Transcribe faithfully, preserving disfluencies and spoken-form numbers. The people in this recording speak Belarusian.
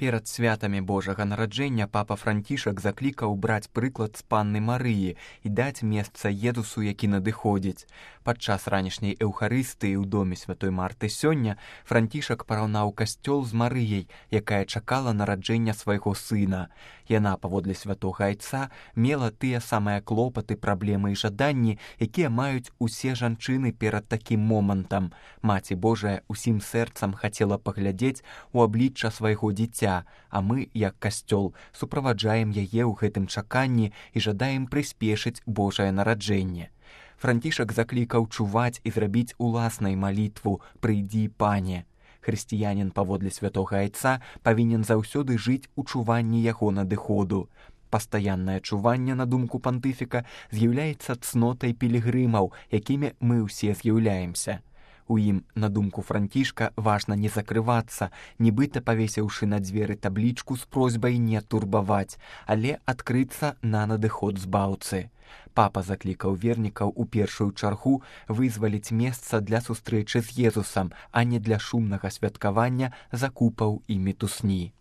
Перад святамі Божага нараджэння папа Францішак заклікаў браць прыклад з панны Марыі і даць месца Езусу, які надыходзіць. Падчас ранішняй эўхарыстыі ў доме святой Марты сёння Францішак параўнаў касцёл з Марыяй, якая чакала нараджэння свайго сына. Яна, паводле святога айца, мела тыя самыя клопаты, праблемы і жаданні, якія маюць усе жанчыны перад такім момантам. Маці Божая усім сэрцам хацела паглядзець у аблічча свайго дзіця, а мы, як касцёл, суправаджаем яе ў гэтым чаканні і жадаем прыспешыць Божае нараджэнне. Францішак заклікаў чуваць і зрабіць уласнай малітву «Прыйдзі, Пане». Хрысціянін, паводле святога айца, павінен заўсёды жыць у чуванні яго надыходу. Пастаяннае чуванне, на думку пантыфіка, з'яўляецца цнотай пілігрымаў, якімі мы ўсе з'яўляемся. У ім, на думку Францішка, важна не закрывацца, нібыта павесіўшы на дзверы таблічку з просьбай не турбаваць, але адкрыцца на надыход збаўцы. Папа заклікаў вернікаў у першую чаргу вызваліць месца для сустрэчы з Езусам, а не для шумнага святкавання, закупаў і мітусні.